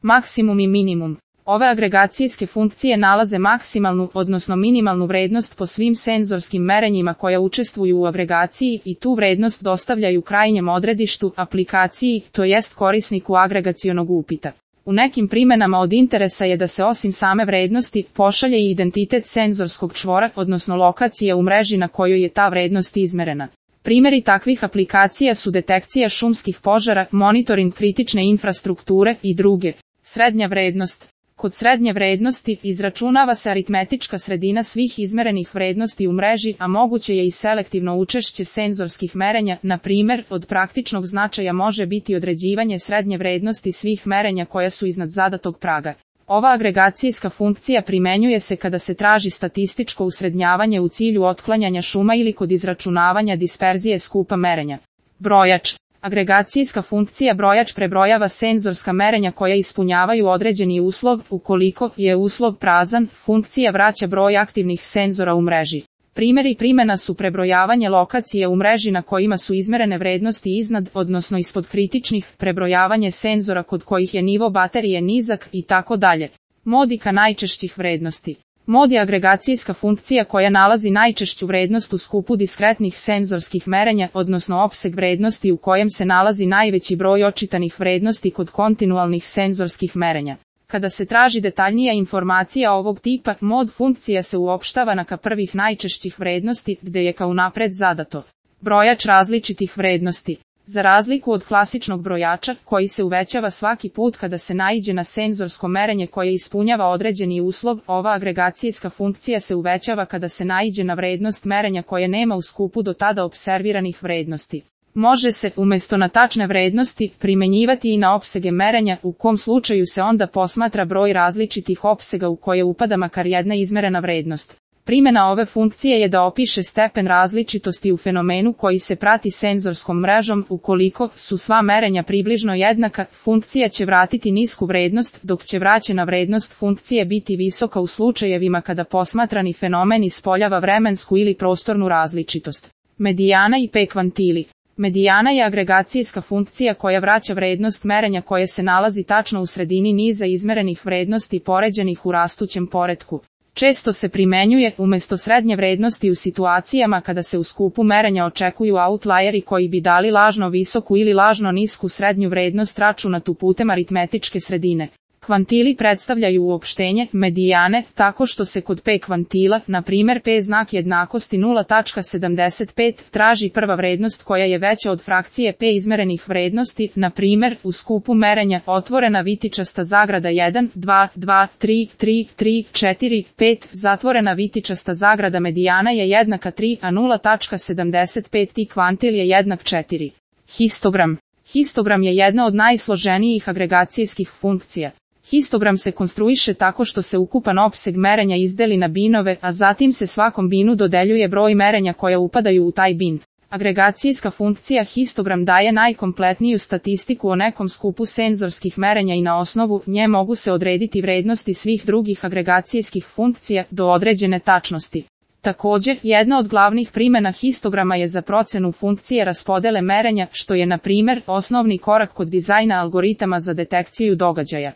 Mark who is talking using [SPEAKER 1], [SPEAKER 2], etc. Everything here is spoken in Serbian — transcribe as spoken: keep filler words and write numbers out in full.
[SPEAKER 1] Maksimum i minimum. Ove agregacijske funkcije nalaze maksimalnu, odnosno minimalnu vrednost po svim senzorskim merenjima koja učestvuju u agregaciji i tu vrednost dostavljaju krajnjem odredištu, aplikaciji, to jest korisniku agregacionog upita. U nekim primenama od interesa je da se osim same vrednosti pošalje i identitet senzorskog čvora, odnosno lokacije u mreži na kojoj je ta vrednost izmerena. Primjeri takvih aplikacija su detekcija šumskih požara, monitoring kritične infrastrukture i druge. Srednja vrednost. Kod srednje vrednosti izračunava se aritmetička sredina svih izmerenih vrednosti u mreži, a moguće je i selektivno učešće senzorskih merenja, na primjer, od praktičnog značaja može biti određivanje srednje vrednosti svih merenja koja su iznad zadatog praga. Ova agregacijska funkcija primenjuje se kada se traži statističko usrednjavanje u cilju otklanjanja šuma ili kod izračunavanja disperzije skupa merenja. Brojač. Agregacijska funkcija brojač prebrojava senzorska merenja koja ispunjavaju određeni uslov, ukoliko je uslov prazan, funkcija vraća broj aktivnih senzora u mreži. Primjeri primjena su prebrojavanje lokacije u mreži na kojima su izmerene vrednosti iznad, odnosno ispod kritičnih, prebrojavanje senzora kod kojih je nivo baterije nizak i tako dalje. Modika najčešćih vrednosti. Mod je agregacijska funkcija koja nalazi najčešću vrednost u skupu diskretnih senzorskih merenja, odnosno opseg vrednosti u kojem se nalazi najveći broj očitanih vrednosti kod kontinualnih senzorskih merenja. Kada se traži detaljnija informacija ovog tipa, mod funkcija se uopštava na ka prvih najčešćih vrednosti, gde je kao napred zadato. Brojač različitih vrednosti. Za razliku od klasičnog brojača, koji se uvećava svaki put kada se naiđe na senzorsko merenje koje ispunjava određeni uslov, ova agregacijska funkcija se uvećava kada se naiđe na vrednost merenja koje nema u skupu do tada observiranih vrednosti. Može se, umjesto na tačne vrednosti, primenjivati i na opsege merenja, u kom slučaju se onda posmatra broj različitih opsega u koje upada makar jedna izmerena vrednost. Primjena ove funkcije je da opiše stepen različitosti u fenomenu koji se prati senzorskom mrežom. Ukoliko su sva merenja približno jednaka, funkcija će vratiti nisku vrednost, dok će vraćena vrednost funkcije biti visoka u slučajevima kada posmatrani fenomen ispoljava vremensku ili prostornu različitost. Medijana i P kvantili. Medijana je agregacijska funkcija koja vraća vrednost merenja koje se nalazi tačno u sredini niza izmerenih vrednosti poređenih u rastućem poretku. Često se primenjuje umjesto srednje vrednosti u situacijama kada se u skupu merenja očekuju outlieri koji bi dali lažno visoku ili lažno nisku srednju vrednost računatu putem aritmetičke sredine. Kvantili predstavljaju uopštenje, medijane, tako što se kod P kvantila, na primjer P znak jednakosti nula zarez sedamdeset pet, traži prva vrednost koja je veća od frakcije P izmerenih vrednosti, na primjer, u skupu merenja, otvorena vitičasta zagrada jedan, dva, dva, tri, tri, tri, četiri, pet, zatvorena vitičasta zagrada medijana je jednaka tri, a nula zarez sedamdeset pet i kvantil je jednak četiri. Histogram. Histogram je jedna od najsloženijih agregacijskih funkcija. Histogram se konstruiše tako što se ukupan opseg merenja izdeli na binove, a zatim se svakom binu dodeljuje broj merenja koja upadaju u taj bin. Agregacijska funkcija histogram daje najkompletniju statistiku o nekom skupu senzorskih merenja i na osnovu nje mogu se odrediti vrednosti svih drugih agregacijskih funkcija do određene tačnosti. Također, jedna od glavnih primjena histograma je za procenu funkcije raspodele merenja, što je na primjer osnovni korak kod dizajna algoritama za detekciju događaja.